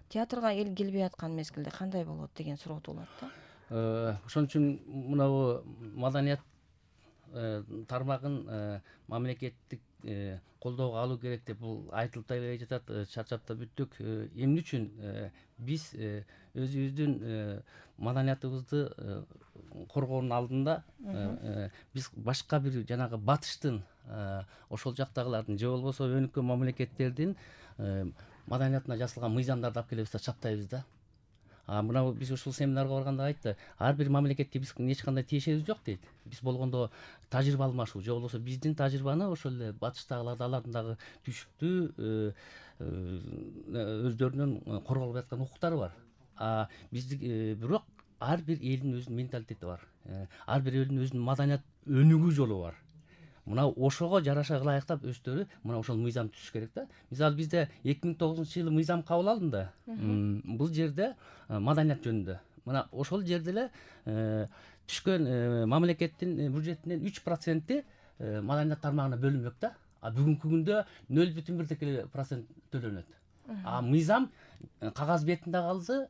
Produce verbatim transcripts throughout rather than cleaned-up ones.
театрга эл келбей аткан мезгилде кандай болот деген суроо туулат да. Ошон үчүн мынабу маданият тармагын мамлекеттик колдоого алуу керек деп бул айтылып да келе жатат, чарчап да бүттүк. Эмне үчүн биз өзүбүздүн маданиятыбызды коргоонун алдында биз башка бир жанагы батыштын ошол жактагылардын же болбосо өнүккөн мамлекеттердин маданиятына жасалган мыйзамдарды алып келебиз да чаптайбыз да. А мына биз ушул семинарга барганда айтты, ар бир мамлекетке биз эч кандай тиешебиз жок дейт. Биз болгондо тажрыйба алмашуу же болбосо биздин тажрыйбаны ошол эле батыштагыларды алардын дагы түшүктүү өздөрүнүн корголбой аткан укуктары бар. А бизди бирок ар бир элдин өзүнүн менталитети бар. Ар бир элдин өзүнүн маданият өнүгүү жолу бар. Мына ошого жараша ылайыктап өздөрү мына ошол мыйзам түзүш керек да. Мисалы бизде эки миң тогузунчу жылы мыйзам кабыл алынды. Бул жерде маданият жөнүндө. Мына ошол жерде эле түшкөн мамлекеттин бюджетинин үч проценти маданият тармагына бөлүнмөк да. А бүгүнкү күндө нөл бүтүн бирдек эле процент төлөнөт. А мыйзам кагаз бетинде калды.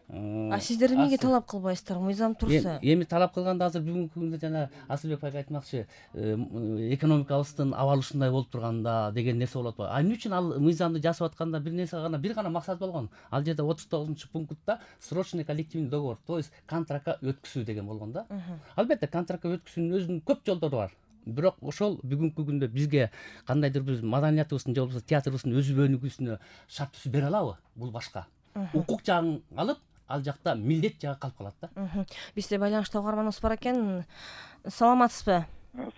А сиздер эмнеге талап кылбайсыздар? Мыйзам турса. Эми талап кылганда азыр бүгүнкү күндө жана Асылбек байга айтмакчы, экономикабыздын абалы ушундай болуп турганда деген нерсе болот го. А эмне үчүн ал мыйзамды жасап атканда бир нерсе гана, бир гана максат болгон. Ал жерде отуз тогузунчу пунктта срочный коллективный договор, то есть контрактка өткүзүү деген болгон да. Албетте контрактка өткүзүүнүн өзүнүн көп жолдору бар. Бирок ошол бүгүнкү күндө бизге кандайдыр бир маданиятыбыздын же болбосо театрыбыздын өзү өнүгүүсүнө шарт түзүп бере алабы? Бул башка. Укук жагын алып, ал жакта милдет жагы калып калат да. Бизде байланышта угарманыбыз бар экен. Саламатсызбы?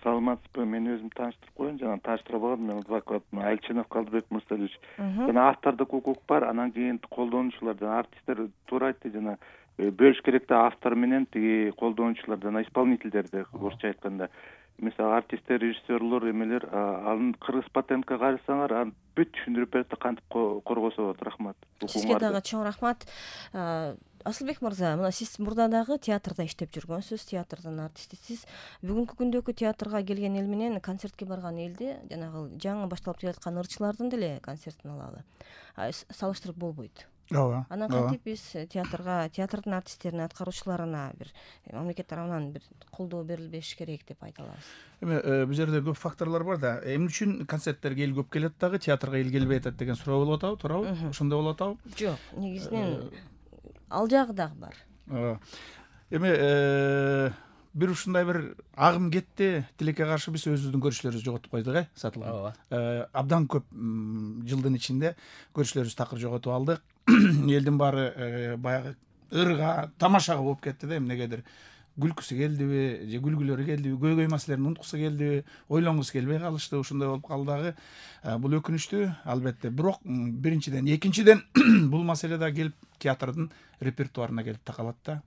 Саламатсызбы? Мен өзүм тааныштырып коеюн. Жана тааныштырбагам, мен адвокат Альчинов Калдыбек Мырзалиевич. Жана автордук укук бар, анан кийин колдонуучулар, жана артисттер туура айтты, жана бөлүш керек да автор менен тиги колдонуучулар, жана исполнительдерди орусча айтканда. Мисалы артисттер, режиссерлор эмелер, анын кыргыз патентке карасаңар, аны бүт түшүндүрүп берет да, кантип коргосо болот. Рахмат. Сизге дагы чоң рахмат. Асылбек мырза, мына сиз мурда дагы театрда иштеп жүргөнсүз, театрдын артистисиз. Бүгүнкү күндөгү театрга келген эл менен концертке барган элди, жанагы жаңы башталып келаткан ырчылардын деле концертин алалы. Салыштырып болбойт. Ооба. Анан кантип биз театрга, театрдын артисттерине, аткаруучуларына бир мамлекет тарабынан бир колдоо берилбеш керек деп айта алабыз? Эми бул жерде көп факторлор бар да. Эмне үчүн концерттерге эл көп келет дагы, театрга эл келбей атат деген суроо болуп атабы, туурабы? Ошондой болуп атабы? Жок, негизинен ал жагы дагы бар. Эми бир ушундай бир агым кетти, тилекке каршы биз өзүбүздүн көрүүчүлөрүбүздү жоготуп койдук, э, Сатылган. Абдан көп жылдын ичинде көрүүчүлөрүбүздү такыр жоготуп алдык. Элдин баары баягы ырга, тамашага болуп кетти да, эмнегедир. Күлкүсү келдиби, же күлгүлөрү келдиби, көйгөй маселелерин унуткусу келдиби, ойлонгусу келбей калышты, ушундай болуп калды дагы. Бул өкүнүчтүү, албетте. Бирок биринчиден, экинчиден бул маселе да келип театрдын репертуарына келип такалат да.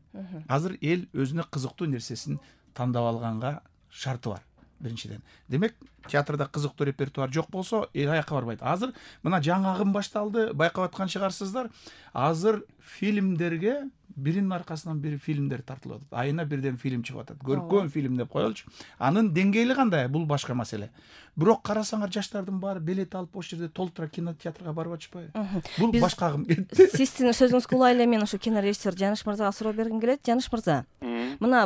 Азыр эл өзүнө кызыктуу нерсесин тандап алганга шарты бар. Биринчиден. Демек, театрда кызыктуу репертуар жок болсо, эл аякка барбайт. Азыр мына жаңы агым башталды, байкап аткан чыгарсыздар. Азыр фильмдерге биринин аркасынан бири фильмдер тартылып атат. Айына бирден фильм чыгып атат. Көркөм фильм деп коелучу. Анын деңгээли кандай? Бул башка маселе. Бирок карасаңар, жаштардын баары билет алып ошол жерде толтура кинотеатрга барып атышпайбы? Бул башка агым кетти. Сиздин сөзүңүзгө улай эле мен ошо кинорежиссер Жаныш мырзага суроо бергим келет. Жаныш мырза, мына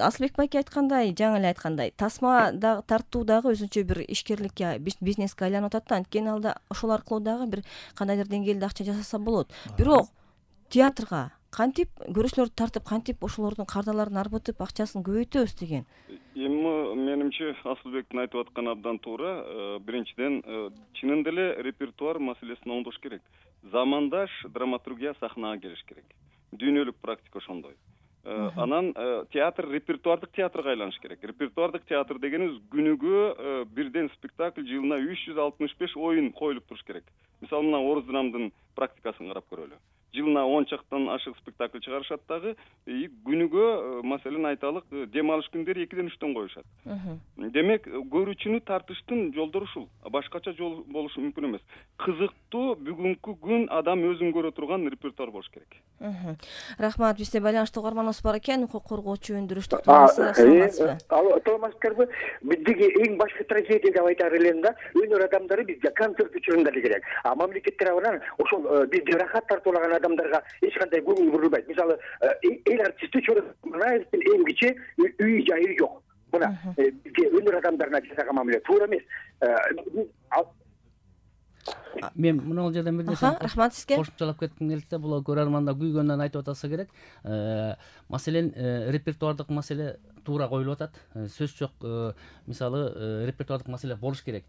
Асылбек байке айткандай, жаңы эле айткандай, тасма дагы тартуу дагы өзүнчө бир ишкерликке, бизнеске айланып атат да. Анткени алда ошол аркылуу дагы бир кандайдыр деңгээлде акча жасаса болот. Бирок театрга кантип көрүүчүлөрдү тартып, кантип ошолордун кардаларын арбытып, акчасын көбөйтөбүз деген? Эми менимче Асылбектин айтып атканы абдан туура. Биринчиден, чынында эле репертуар маселесин оңдош керек. Замандаш драматургия сахнага келиш керек. Дүйнөлүк практика ошондой. Анан театр репертуардык театрга айланыш керек. Репертуардык театр дегенибиз күнүгө бирден спектакль, жылына үч жүз алтымыш беш оюн коюлуп туруш керек. Мисалы, мына Орус драмдын практикасын карап көрөлү. жылына он чактан ашык спектакль чыгарышат дагы, күнүгө маселен айталык дем алыш күндөрү экиден үчтөн коюшат. Демек көрүүчүнү тартыштын жолдору ушул. Башкача жол болушу мүмкүн эмес. Кызыктуу бүгүнкү күн адам өзүн көрө турган репертуар болуш керек. Рахмат. Бизде байланышта угарманыбыз бар экен. Укук коргоочу өндүрүш токтогуловсыз. Саламатсызбы? Алло, саламатсыздарбы? Биздеги эң башкы трагедия деп айтар элем да, өнөр адамдары бизге концерт учурунда эле керек. А мамлекет тарабынан ошол бизди рахат тартуулаган адамдарга эч кандай көңүл бурулбайт. Мисалы, эл артисти Чорозмунаевдин эмгичи үй жайы жок. Мына бизге өнөр адамдарына жасаган мамиле туура эмес. Мен мына жерден бир нерсе рахмат сизге. Кошумчалап кетким келет да, бул көрөрманда күйгөндөн айтып атса керек. Маселен, репертуардык маселе туура коюлуп атат. Сөз жок, мисалы, репертуардык маселе болуш керек.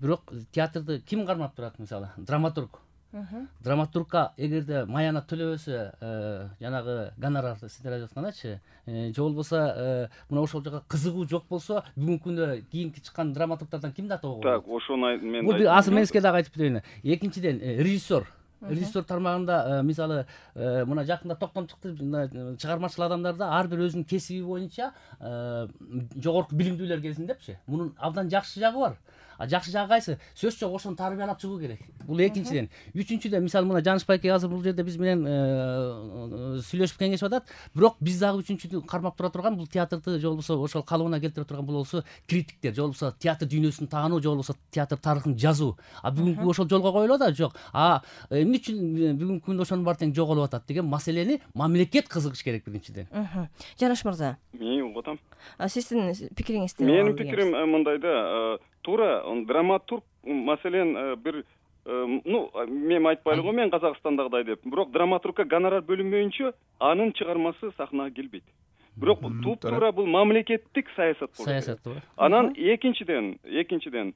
Бирок театрды ким кармап турат, мисалы? Драматург. Драматургка эгерде маяна төлөбөсө, жанагы гонорарды сиздер айтып аткандачы, же болбосо мына ошол жака кызыгуу жок болсо, бүгүнкү күндө кийинки чыккан драматургдардан ким даты болот? Так, ошону мен бул бир азыр мен сизге дагы айтып берейин. Экинчиден, режиссер. Режиссер тармагында мисалы мына жакында токтом чыкты, чыгармачыл адамдарда ар бир өзүнүн кесиби боюнча жогорку билимдүүлөр келсин депчи. Мунун абдан жакшы жагы бар. А жакшы жагы кайсы? Сөз жок, ошону тарбиялап чыгуу керек. Бул экинчиден. Үчүнчүдөн, мисалы мына Жаныш байке азыр бул жерде биз менен сүйлөшүп кеңешип атат. Бирок биз дагы үчүнчүдү кармап тура турган, бул театрды же болбосо ошол калыбына келтире турган бул болсо критиктер, же болбосо театр дүйнөсүн таануу, же болбосо театр тарыхын жазуу. А бүгүнкү ошол жолго коюлуп атат, жок. А эмне үчүн бүгүнкү күндө ошонун баары тең жоголуп атат деген маселени мамлекет кызыгыш керек биринчиден. Жаныш мырза. Мен угуп атам. Сиздин пикириңизди. Менин пикирим мындай да, туура драматург маселен бир, ну мен айтпайлы го, мен Казакстандагыдай деп, бирок драматургка гонорар бөлүнбөйүнчө анын чыгармасы сахнага келбейт. Бирок туп-туура бул мамлекеттик саясат болот. Саясат туура. Анан экинчиден, экинчиден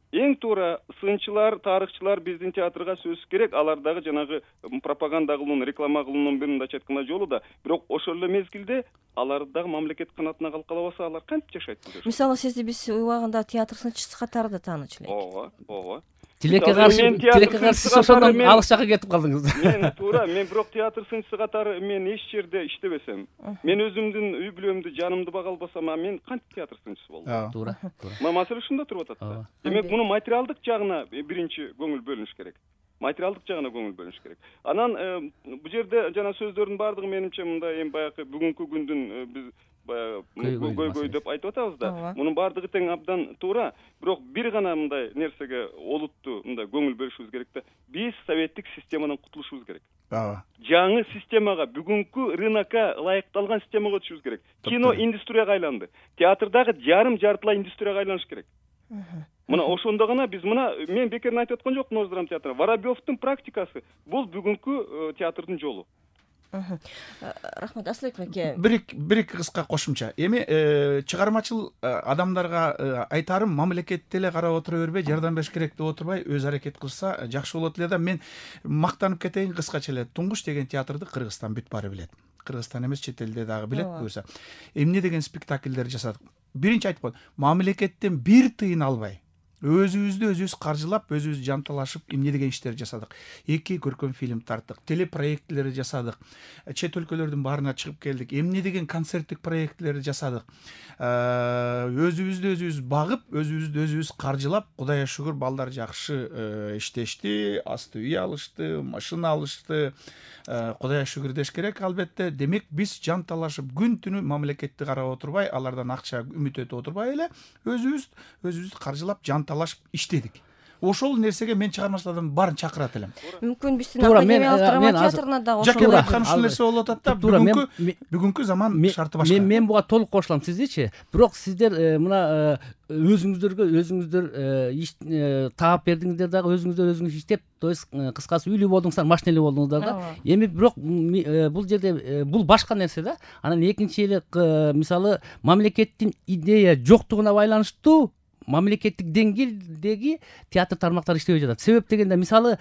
эң туура сынчылар, тарыхчылар биздин театрга сөзсүз керек. Алар дагы жанагы пропаганда кылуунун, реклама кылуунун бир мындайча айтканда жолу да. Бирок ошол эле мезгилде алар дагы мамлекет канатына калып калабаса, алар кантип жашайт? Мисалы, сизди биз убагында театр сынчысы катары да таанычу элек. Ооба, ооба. Тилекке каршы, тилекке каршы ошондон алыс жакка кетип калдыңыз. Мен туура, мен бирок театр сынчысы катары мен эч жерде иштебесем, мен өзүмдүн үй бүлөмдү, жанымды бага албасам, мен кантип театр сынчысы болдум? Туура. Маселе ушунда туруп атат. Демек, муну материалдык жагына биринчи көңүл бөлүнүш керек. Материалдык жагына көңүл бөлүнүш керек. Анан бул жерде жана сөздөрдүн баардыгы менимче мындай эми баягы бүгүнкү күндүн биз баягы көйгөй деп айтып атабыз да. Мунун баардыгы тең абдан туура. Бирок бир гана мындай нерсеге олуттуу мындай көңүл бөлүшүбүз керек да. Биз советтик системадан кутулушубуз керек. Ооба. Жаңы системага, бүгүнкү рынокко ылайыкталган системага өтүшүбүз керек. Кино индустрияга айланды. Театрдагы жарым жартылай индустрияга айланыш керек. Мына ошондо гана биз мына мен бекерин айтып аткан жокмун Ош драма театры. Воробьевдун практикасы бул бүгүнкү театрдын жолу. Рахмат, Асылбек байке. Бир бир кыска кошумча. Эми чыгармачыл адамдарга айтарым, мамлекет деле карап отура бербей, жардам бериш керек деп отурбай, өз аракет кылса жакшы болот эле да. Мен мактанып кетейин кыскача эле. Туңгуш деген театрды Кыргызстан бүт баары билет. Кыргызстан эмес, чет элде дагы билет буюрса. Эмне деген спектакльдер жасадык. Биринчи айтып коет, мамлекеттен бир тыйын албай, өзүбүздү өзүбүз каржылап, өзүбүз жанталашып эмне деген иштер жасадык. Эки көркөм фильм тарттык, телепроектлер жасадык. Чет өлкөлөрдүн баарына чыгып келдик. Эмне деген концерттик проектлер жасадык. Өзүбүздү өзүбүз багып, өзүбүздү өзүбүз каржылап, Кудайга шүгүр балдар жакшы иштешти, асты үй алышты, машина алышты. Кудайга шүгүр деш керек албетте. Демек биз жанталашып күн түнү мамлекетти карап отурбай, алардан акча үмүт өтүп отурбай эле өзүбүз өзүбүз каржылап жанталашып иштедик. Ошол нерсеге мен чыгармачылардын баарын чакырат элем. Мүмкүн биздин академиялык драма театрына да ошол жаке айткан ушул нерсе болуп атат да. Бүгүнкү бүгүнкү заман шарты башка. Мен мен буга толук кошулам сиздичи. Бирок сиздер мына өзүңүздөргө өзүңүздөр таап бердиңиздер дагы, өзүңүздөр өзүңүз иштеп, то есть кыскасы үйлүү болдуңуздар, машинелүү болдуңуздар да. Эми бирок бул жерде бул башка нерсе да. Анан экинчи эле мисалы мамлекеттин идея жоктугуна байланыштуу мамлекеттик деңгээлдеги театр тармактары иштебей жатат. Себеп дегенде мисалы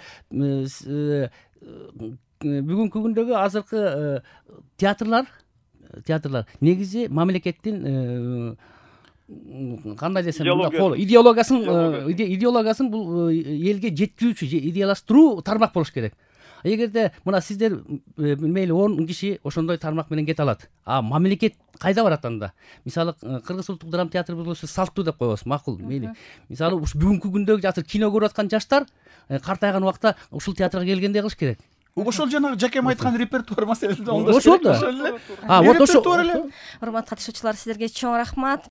бүгүнкү күндөгү азыркы театрлар театрлар негизи мамлекеттин кандай десем идеологиясын идеологиясын бул элге жеткирүүчү, идеялаштыруу тармак болуш керек. эгерде мына сиздер мейли он киши ошондой тармак менен кете алат, а мамлекет кайда барат анда? Мисалы Кыргыз улуттук драма театрыбыз болсо салттуу деп коебуз, макул, мейли. Мисалы ушу бүгүнкү күндөгү азыр кино көрүп аткан жаштар картайган убакта ушул театрга келгендей кылыш керек. Ошол жанагы Жакем айткан репертуар маселесин оңдош керек. Ошол эле. А вот ошо. Урматтуу катышуучулар, сиздерге чоң рахмат.